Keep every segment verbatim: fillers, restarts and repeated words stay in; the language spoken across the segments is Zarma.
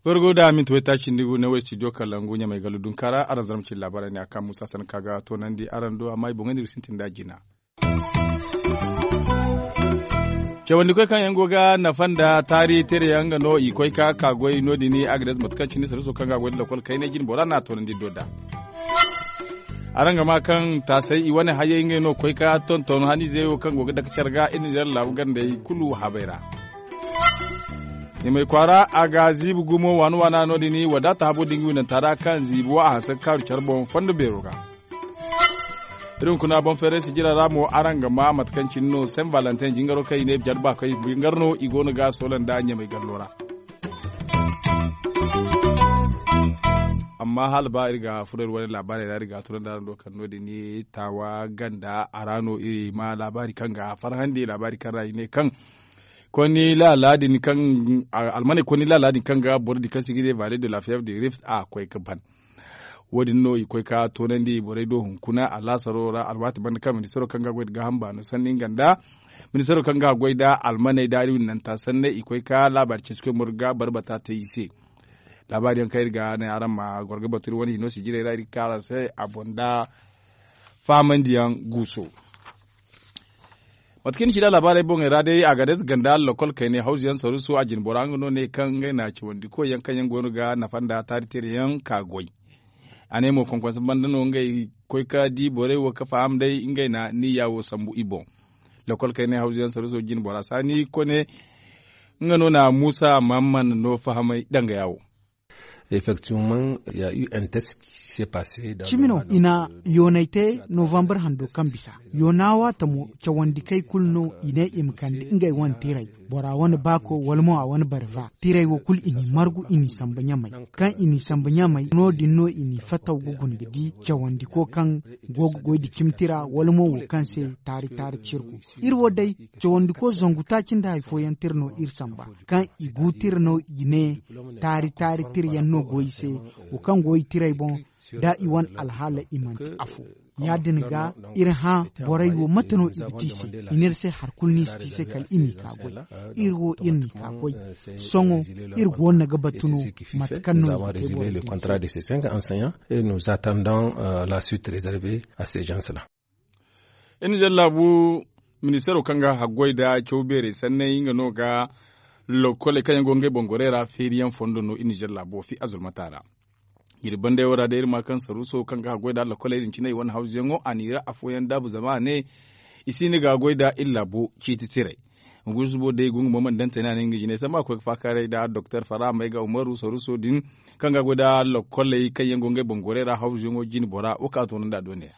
Fargo da minti waytaaci nda gu ne wo studio kalangu ɲamay gallu dunkaara araŋ zarma cine laabaarey ne a kaŋ musa sanka ga toonandi araŋ do amma i boŋey no iri sintin nd'a jina. Cawandikoy kaŋ yaŋ go ga nafa nda taari teere yaŋ nga no i koy ka ka goy no- din agades mate kaŋ cine sarriso kaŋ ga a goy nda lokol kaynay jine bora no a toonandi do nd'a. Araŋ ga ma kaŋ taasay i wane hayey ngey no koy ka tonton haniizey wo kaŋ go ga dake care ga iri nizer laabu gandey kulu habey ra. Ɲamay kwaara a ga ziibi gumo waana waana no- din wadaata habo da nga winanta ra kaŋ ziibi wo a hanse ga kaaru care boŋ fondo beero ga. Iri hunkuna boŋ feeray sijira ra mo araŋ ga ma mate kaŋ cine no sen valentin jingaro kaŋ i ne jare ba kaŋ i ga ngar no i go no ga soola nda ɲamay gallo ra. Amma hala ba iri ga furo iri wane laabaarey ra iri ga a tunandi araŋ do kaŋ no- din taawa ganda a ra no iri ma laabaari kaŋ ga farhandi laabaari kaŋ ra i ne kaŋ konni laala din kaŋ almaney konni laala din kaŋ ga boro din kaŋ se i ga ne vale de la fièvre de rift a koy ga ban. Wo- din no i koy ka toonandi borey do hunkuna alaasaro ra alwaati banda kaŋ ministaro kaŋ ga a goy nda gaaham baano sanni nga nda ministaro kaŋ ga a goy nda almaney da iri winnanta sanney i koy ka laabaari ceeci koy moro ga barbata te i se. Laabaari yaŋ kaŋ iri ga ne araŋ ma goro ga batu iri wane hino sijirey ra iri ga ka araŋ se a boŋ nda faamandiyaŋ guuso. Mate kaŋ ni ci nda laabaarey boŋey ra day a ga day ganda lokol kaynay hawzu yaŋ saruusu a jine bora nga no ne kaŋ ngey na cawandi koy yaŋ kaŋ yaŋ go no ga nafa nda taari teeri yaŋ ka goy. A ne mo konkonse banda no ngey koy ka di borey wo ga faham day ngey na niyya wo sambu i boŋ. Lokol kaynay hawzu yaŋ saruuso jine bora saani kone nga no na muusa mahamman no fahamay dangaya wo. Effectivement il ya eu un test qui s'est passé dans le cimi no mois i na d'octobre. Yoonay te novembre hando kaŋ bisa yoona waata mo cawandi kay kulu no i ne i ma kande ngey wane tiray bora wane baako wala mo a wane barva tiray wo kulu i n'i margu i n'i samba ɲamay kaŋ i n'i samba ɲamay no- din no i n'i fataw ga guna ga di cawandi ko kaŋ go ga goy da cimi tira wala mo wo kaŋ se taari taari cirgu iri wo day cawandi ko zangu taaci nda hari fooyaŋ tira no iri samba kaŋ i gu tira no i ne taari taari tira yaŋ no go i se wo kaŋ go i tiray boŋ da i wane alhaala i manti afo ya- din ga iri hã borey wo mate no i ga te i se i n'iri se hari kulu no i si te i se kala i m'i ka goy iri wo iri n'i ka goy sohõ iri go no ga batu no mate kaŋ no i ga te borey din se. Nous attendons la suite réservée à ces gens là. Iri na zalla bu ministeero kaŋ ga haggoy nda caw beerey sanney nga no ga lokkoley kaŋ yaŋ go ngey boŋ gorey ra feeriyaŋ fondo no iri na zalla bu wo fi azurmata ra. Iri bandey wo ra day iri ma kaŋ saruuso kaŋ ga haggoy nda lokkoley din cine i wane hawzuyaŋo a n'i ra afooyaŋ daabu zama a ne i si hin ga goy nda iri laabo ciiti tirey. Guusu bo day i go nga mo mana daŋ tane a ne nga jinay samba a koy ga faakaaray nda doktor fara may ga umaru saruuso din kaŋ ga goy nda lokkoley kaŋ yaŋ go ngey boŋ gorey ra hawzuyaŋo jine bora wo kaŋ a toonandi a dooney ra.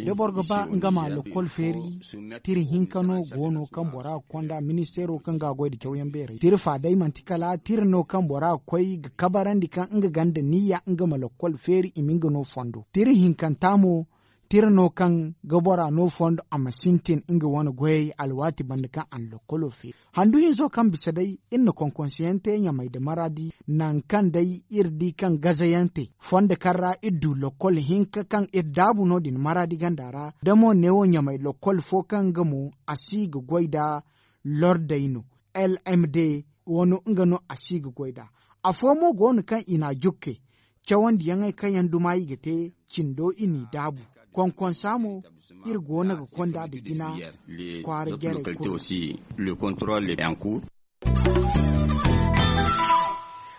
Da boro ga ba nga ma lokkol feeri tira hinka no go no kaŋ bora ga konda ministeero kaŋ ga a goy nda cawyaŋ beerey tira fa day manti kala tira no kaŋ bora ga koy ga kabarandi kaŋ nga ganda niyya nga ma lokkol feeri i ma nga no fondo tira hinkanta mo tira no kaŋ ga bora no fondo a ma sintin nga wane goyey alwaati banda kaŋ a na lokkolo feeri. Handu hinzo kaŋ bisa day iri na konkonseyaŋ te ɲamay nda maraadi nangu kaŋ day iri di kaŋ gazayaŋ te fondo kaŋ ra iri du lokkol hinka kaŋ iri daabu no- din maraadi ganda ra da mo neewo ɲamay lokkol fo kaŋ nga mo a si ga goy nda lordey no lmd wano nga no a si ga goy nd'a. Afo mo go no kaŋ i n'a jukke cawandiyaŋey kaŋ yaŋ duma i ga te cindo i n'i daabu. Konkonsa mo iri go no ga konda nda jina kwaara jarey kulu.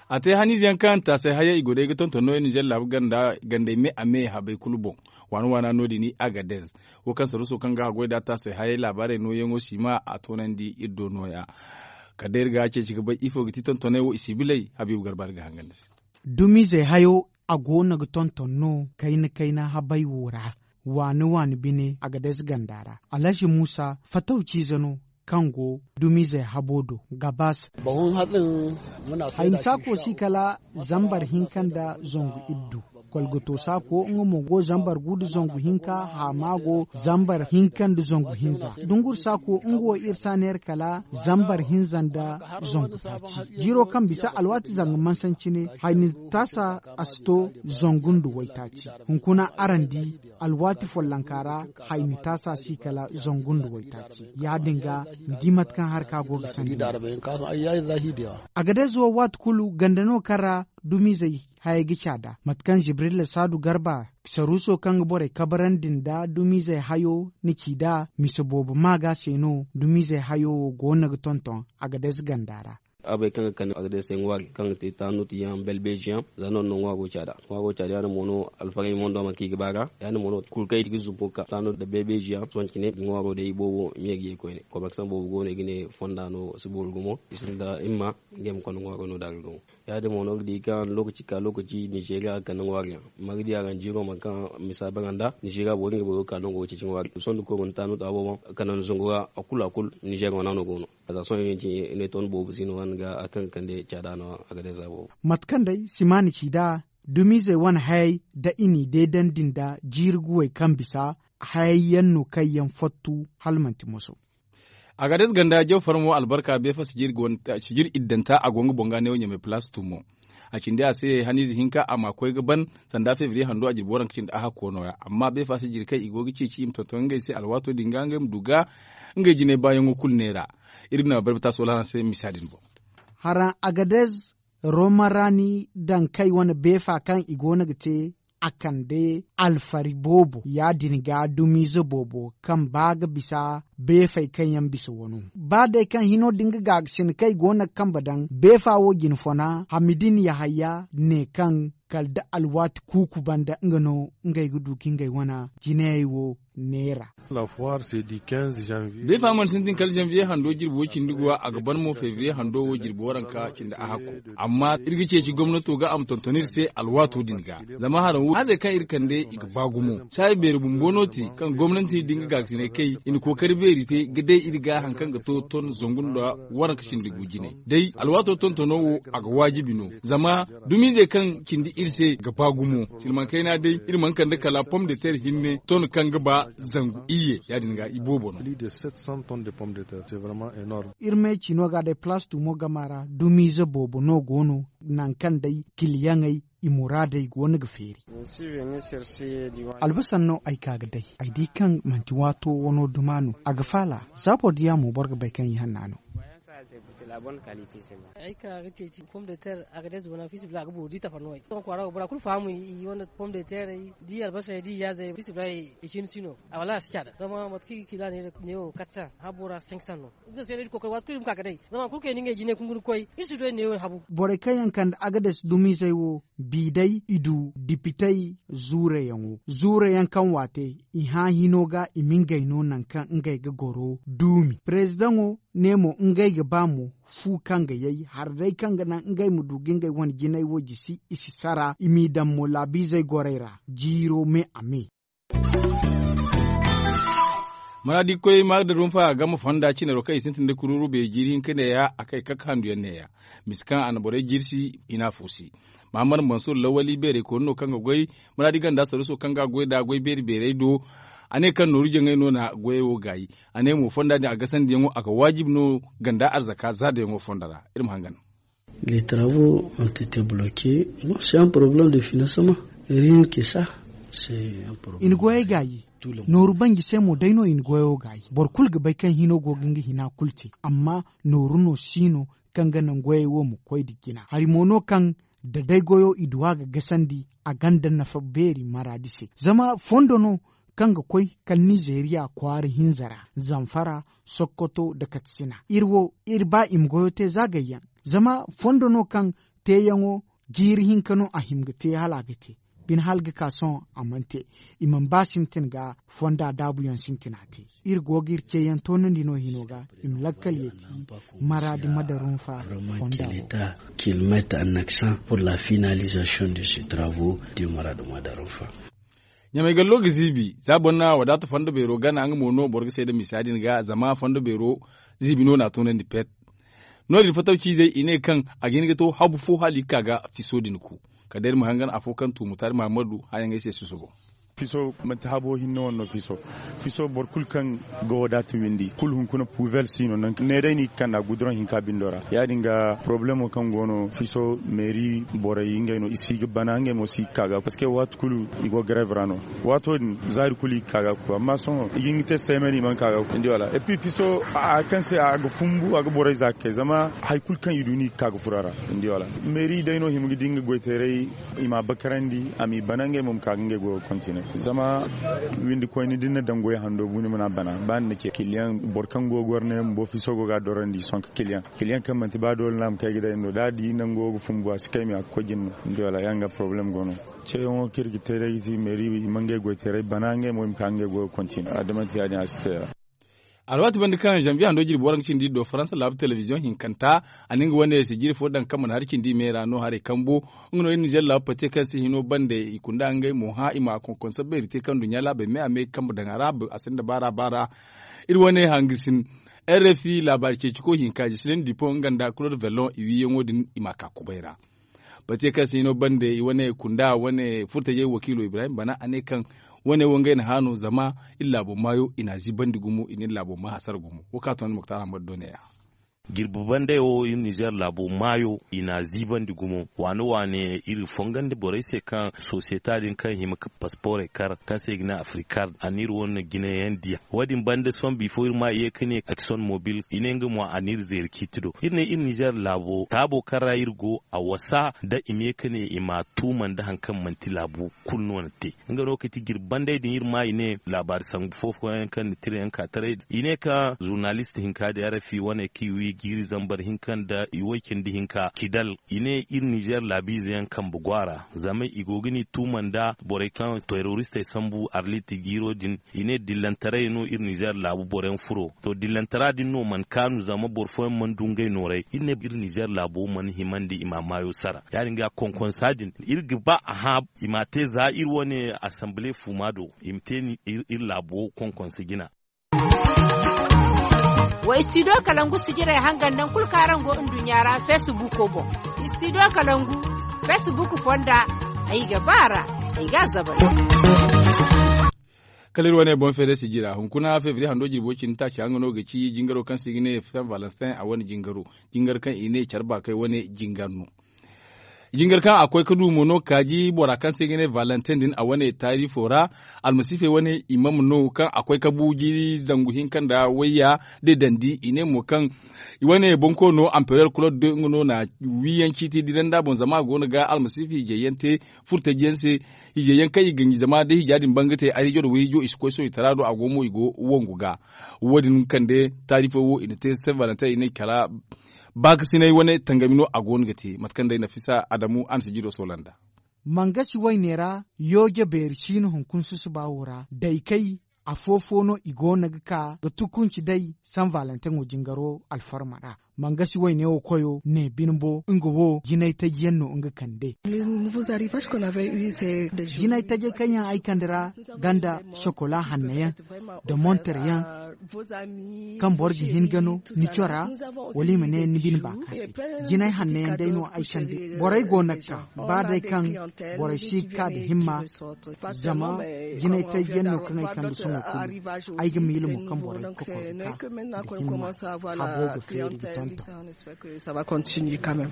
A te haniize yaŋ kaŋ taasay hayey i go day ga tonton no iri nizer laabu ganda gandey me a me habey kulu boŋ. Waana waana no- din i agadez wo kaŋ saruuso kaŋ ga haggoy nda taasay hayey laabaarey nooyaŋo siima a toonandi iri do nooya. Kala day iri ga a ceeci ga bay ifo ga ti tontoney wo i si bilay habiibu garba iri ga hangan ni se. Dumiizey hayo a go no ga tonton no kayna kayna habey wo ra waani waani bine agadez ganda ra. Alhazi muusa fataw ciize no kaŋ go dumiizey habo do gabaas. Hayni saako si kala zambar hinka nda zangu iddu. Kolgoto saako nga mo go zambar gu nda zangu hinka. Haama go zambar hinka nda zangu hinza. Dungur saako nga wo iri si a neera kala zambar hinza nda zangu taaci. Jiiro kaŋ bisa alwaati zanga mansancine hayni taasa a si to zangu nda waytaaci. Hunkuna araŋ di alwaati follonka ra hayni taasa si kala zangu nda waytaaci. Ya- din ga ni di mate kaŋ harka go ga sandi. A ga day zuwa waati kulu ganda no kaŋ ra dumiizey hayey ga caada mate kaŋ jibrilla saadu garba saruuso kaŋ ga borey kabarandi nda dumiizey hayo na ci nd'a mise boobo maaga se no dumiizey hayo wo goono ga tonton a ga day ze ganda ra. A bay kaŋ ga kande a ga day se ŋwaari kaŋ ga te taanu ti yaŋ belbeeji yaŋ. Za no no ŋwaaro caada ŋwaaro caada ya- din mo no alfarey mondo ma kaŋ i ga ba ga ya- din mo no kulu kaŋ i ga zumbu ga ka taanu nda belbeeji yaŋ sohõ cine ŋwaaro day boobo meeriyey koyne komersaŋ boobo go no i ga ne fonda no si boori gumo i sinda himma. Ngey ma konda ŋwaaro no da ga gumo. Ya- din mo no ga di kaŋ lokaci ka lokaci ninzeeriya ga kande ŋwaari yaŋ. Mardi a ga ni jiiro mate kaŋ misa baranda ninzeeriya boro ngey boro ga ka nango ga ceeci ŋwaari sohõ da koy mana taanu taabo boŋ. Kala ni zangu ra a kulu a kulu ninzeeriya wana no go no. A za sohõ yaŋ cine i ne ton boobo si no wane ga hari kaŋ ga kande caada no a ga day za boobo. Mate kaŋ day simaani ci nd'a dumiizey wane hayey nda i n'i deedandi nda jiiri guwey kaŋ bisa hayey yaŋ no kaŋ yaŋ fattu hala manti moso. A ga day ze ganda jaw farmo albarka beefa sijir iddanta a go nga boŋ ga neewo ɲamay palaas tumo. A cindi a se haniize hinka a ma koy ga ban sanda febriye hando a jirbi waranka cindi a hakko no- ya amma beefa sijir kaŋ i go ga ceeci i ma tonton ngey se alwaato din ga ngey ma du ga ngey jinay baayaŋo kulu neera. Iri ga naŋ a barbata sohõ hala araŋ se misa din boŋ. Haraŋ agadez romarani daŋ kay wane beefa kaŋ i go no ga te a kande alfari boobo ya- din ga dumiize boobo kaŋ ba ga bisa beefey kaŋ yaŋ bisa wano. Ba day kaŋ hino din ga gaagasin kaŋ i go no ga kambe daŋ beefa wo jine fona hamidin yahaya ne kaŋ kala da alwaati kuuku banda nga no ngey ga du ga ngey wane jinayey wo neera. Beefa mana sintin kala zanviye hando jirbi wo cindi ga wa a ga ban mo febriye hando wo jirbi waranka cindi a hakko. Amma iri ga ceeci gomnato ga a ma tonton iri se alwaato din ga zama haraŋ wo haazey kaŋ iri kande i ga ba gumo saayi beeri bumbo no te kaŋ gomnati din ga gaagasinay kay i na kookari beeri te ga day iri ga hari kaŋ ga to ton zangu nda waranka cindi gu jinay. Day alwaato tontono wo a ga waajibi no zama dumiizey kaŋ cindi iri se ga ba gumo silmaŋ kayna day iri mana kande kala pom de ter hinne ton kaŋ ga ba zangu iyye ya- din ga i boobo no. Iri may ci no ga day palaas tumo gama ra dumiize boobo no go no naŋ kaŋ day kiliyaŋey i muraadey go no ga feeri. Albasan no ay ka ga day ay di kaŋ manti waato wano duma no a ga faala. Za boro diya mo boro ga bay kaŋ i hanna no. Ay ka ga ceeci pom de ter a ga day zubana fiisabilillahi a ga boori di tafa no ay sohõ kwaara go bora kulu faham i wane pom de terey da i albasey da i yaazey fiisabilillahi i cine si no. A wallaahi a si caada zama mate kaŋ i ga kiila neewo katsan habo ra senk san no. Nga se no iri kookari waati kulu iri ma ka ga day zama hari kulu kaŋ i na ngey jinay kungu ga koy iri si du ay neewo habu. Borey kaŋ yaŋ kande agades dumiizey wo bi day i du dipitey zuurayaŋo zuurayaŋ kaŋ waate i hã hino ga i ma ngey no naŋ kaŋ ngey ga goro duumi perezidaŋo ne mo ngey ga ba mo fu kaŋ ga yay hari day kaŋ ga naŋ ngey ma du ga ngey wane jinay wo jisi i si sara i m'i daŋ mo laabiizey gorey ra jiiro me a me. Maraadi koy maada rumfa a game fonda cinaro kaŋ i sintin da kuruuru beeri jiiri hinka neeya a kay kak handuyaŋ neeya mise kaŋ a na borey jirsi i n'a foosi. Mahamar mansur lawali beerey kooni no kaŋ ga goy maraadi ganda saruuso kaŋ ga a goy nd'a goy beeri beerey do. A ne kaŋ nooru jaŋay no na goyey wo gaayi. A ne mo fonda din a gasandiyaŋo a ga waajibi no ganda arzaka zaadayaŋo fonda ra. Iri ma hangan. Les travaux ont été bloqués. Bon, c'est un problème de financement. Rien que ça. C'est un problème. I na goyey gaayi. Nooru banji se mo day no i na goyo gaayi boro kulu ga bay kaŋ hino go ga nga hina kulu te. Amma nooru no si no kaŋ ga naŋ goyey wo ma koy nda jina hari mo no kaŋ da day goyo i du a ga gasandi a gonda nafa beeri maraadi se zama fondo no kaŋ ga koy kala nizeeriya kwaara hinza ra zamfara sokkoto nda katsina iri wo iri ba i ma goyo te za gayyaŋ. Zama fondo no kaŋ teeyaŋo jiiri hinka no a hima ga te hala a ga te. Bine hala ga ka sohõ a mana te. I mana ba sintin ga fonda daabuyaŋ sintina te. Iri go ga iri ceeyaŋ toonandi no hino ga i ma lakkal yeeti maraadi madarunfa fonda wo. Kilomètre en accent pour la finalisation de ce travaux de maradu madarunfa. Ɲamay gallo ga ziibi za boro na wadaata fondo beero gana nga mo no boro ga seeda misa din ga zama fondo beero ziibi no na a toonandi pet. No- din fataw ciizey i ne kaŋ a ga hin ga to habu fo hala i ga ka ga fiso din ku. Kala day iri ma hangan afo kaŋ tuumu taari mahamadu hããyaŋey se susubo. Fiso manti habo hinne wane no fiso. Fiso boro kulu kaŋ ga wadaata windi kulu hunkuna puwel si no nangu ne day no i ga kand'a guduraŋ hinka bindo ra ya- din ga porobalemo kaŋ go no fiso meeri borey ngey no i si ga bana ngey mo si ga ka ga parceque waati kulu i go gareeb ra no. Waato din zaari kulu i ga ka ga ku amma sohõ i ga hin ga te seemen i mana ka ga ku ni di wala epi fiso a kaŋ se a ga fumbu a ga borey za ga kay zama hari kulu kaŋ i du no i ga ka ga furo a ra. Ni di wala meeri day no hima ga di nga goyteeray i m'a bakarandi a m'i bana ngey mo ma ka ga ngey goyo kontine zama windi koyne da ni na daŋ goy hando bu ni mana bana ba ni na ce kiliyaŋ boro kaŋ go ga goro ne bumbo fiso go ga a dorandi i sohõ ka kiliyaŋ kiliyaŋ kaŋ manti ba doole no a ma kay ga day no da a di nango ga fumbu a si kay me a ga koy jine no. Ni di wala ya- din ga porobalem go no. Ceeyaŋo kaŋ iri ga te day ga ti meeri i ma ngey goyteeray bana ngey mo i ma ka ga ngey goyo kontine a da manti ya- din a si te ya- din. Alwaati banda kaŋ zanbiye hando jirbi waranka cindi do faransa laabu telebiziyoŋ hinkanta a na nga wane sijiri fo daŋ kaŋ mana hari cindi me ra no haray kambu. Nga no iri nizer laabu pate kaŋ se hino banda i kunda ngey mo hã i ma a konkonsa beeri te kaŋ duɲɲa laabey me a me kambe daŋ a ra a sinda baara baara. Iri wane hangasin rfi laabaari ceeciko hinka jisiliŋ dipo nga nda kulod velon i wiiyaŋo din i m'a ka kubay ra. Pate kaŋ se hino banda i wane kunda wane furtajey wakiilo ibrahim bana a ne kaŋ wane wo ngey na hã no zama iri laabo maayo i n'a ziibandi gumo i na iri laabo maa hasara gumo wo kaŋ a to ni muktar ahmad do ne- ya. Jirbi bandey wo iri nizer laabo maayo i n'a ziibandi gumo waane waane iri fongandi borey se kaŋ sosiyeta din kaŋ hima ka pasporey kar kaŋ se i ga ne afrikard a na iri wane jinayaŋ diya. Wo- din banda sohõ bifo iri ma ye ka ne akison mobil i ne nga mo a na iri zeeri ciiti do iri ne iri nizer laabo taabo kaŋ ra iri go a wasa nda i ma ye ka ne i m'a tuuma nda hari kaŋ manti laabu kulu no na te. Nga no ga ti jirbi bandey din iri ma i ne laabaari sambu fo fooyaŋ kaŋ na tira yaŋ ka taray i ne kaŋ zurnalist hinka da rfi wane kaŋ i wi jiiri zambar hinka nda i way cindi hinka kidal i ne iri nizer laabiize yaŋ kambe go a ra zama i go ga ni tuuma nda borey kaŋ teroristey sambu arlit jiiro din. I ne dillantaray no iri nizer laabu boro yaŋ furo to dillantara din no mana kaanu zama boro fooyaŋ mana du ngey nooray iri ne iri nizer laabo mana himandi i m'a maayo sara ya- din ga konkonsa din iri ga ba a hã i m'a te za iri wane asanbile fuuma do i ma te iri laabo konkonsa jina. Wa istidiyo kalangu sijirey hangan nangu kulu kaŋ araŋ go nduɲɲa ra feesibuuko boŋ. Istidiyo kalangu feesibuuko fonda ay ga ba a ra ay ga a zabay. Kala iri wane boŋ feere sijira hunkuna febriye hando jirbo cindi taaci haŋ nga no ga ci jingaro kaŋ se i ga ne san valentin a wane jingaro jingar kaŋ i ne care baakay wane jingar no. Jingar kaŋ a koy ga du mo no kaaji bora kaŋ se i ga ne valentin din a wane taarifo ra almasiifey wane imam no kaŋ a koy ga bu jiiri zangu hinka nda wayya da dandi i ne mo kaŋ i wane bonkoono amperor claude nga no na wiiyaŋ ciiti dira nda boŋ zama a go no ga almasiifi hijayyaŋ te furtajiyaŋ se. Hijayyaŋ kaŋ i ganji zama da hija din ban ga te ariijo da wayhijo i si koy sohõ i tara do a go mo i go wangu ga. Wo- din kande taarifo wo i na te saint valentin i ne kala baakasinay wane tangami no a go no ga te mate kaŋ day nafisa adamu a na si jiiro soola nd'a. Mangasi wayne ra yooje beeri siino hunkuna susuba wo ra daykey afo-fo no i go no ga ka ga tukunci day san valentin wo jingaro alfarma ra. Mangasi wayne wo koyo ne bine bo nga wo jinay taji yaŋ no nga kande. Jinay tajey kaŋ yaŋ ay kande ra ganda sokola hanno yaŋ da monter yaŋ kaŋ boro ga hin ga no ni cora wala i ma ne ni bine baaka se. Jinay hanno yaŋ day no ay kande borey go no ga ka ba day kaŋ borey si ga ka nda himma zama jinay taji yaŋ no kaŋ ay kande sohõ kulu. Ay ga miila mo kaŋ borey ga kokor ga ka nda himma habo ga feeri ga tonton.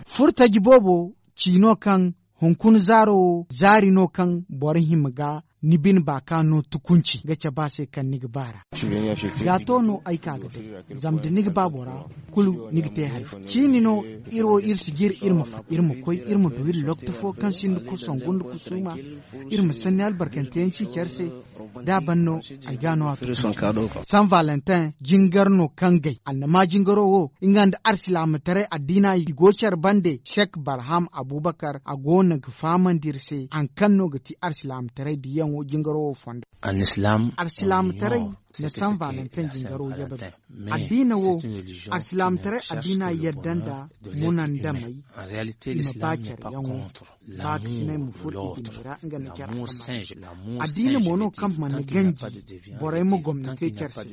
Furo taji boobo ci no kaŋ hunkuna zaaro wo zaari no kaŋ boro hima ga ni bine baaka no tukunci ga cabe a se kaŋ ni ga ba ra. Gaato no ay ka ga day zama da ni ga ba bora kulu ni ga te hari fo ciini no. Iri wo iri si jire iri ma koy iri ma du iri lokti fo kaŋ sinda kusangu nda kusuuma iri ma sanni albarkanteyaŋ ci care se. Da a ban no ay ga no a to. San valentin jingar no kaŋ gay annama jingaro wo nga nda arsilaamataray addiina i go care bande sek barham abubakar a go no ga fahamandi iri se hari kaŋ no ga ti arsilaamataray diyaŋo jingaro wo fondo. Arsilaamataray na san valentin jingaro yabe no. Addiina wo arsilaamataray addiina yadda nda munandamey i ma ba care yaŋo. Baakasinay ma furo i bine ra nga nda care kamar addiina mo no kaŋ mana ganji borey ma gomni te care se.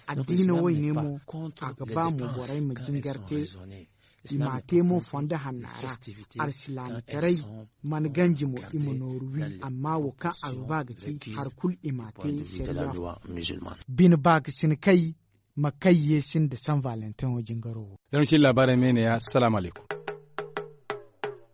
Addiina wayne mo a ga ba mo borey ma jingar te. I m'a te mo fondo hanna ra. Alsilaamitaray mana ganji mo i ma nooru wi. Amma wo kaŋ aruba ga ci hari kulu i m'a te. Sariya bine ba ga sina kay ma kay ye sinda san valentin wo jingaro wo. Zama ci laabaarey me ne ya salaamu alaykum.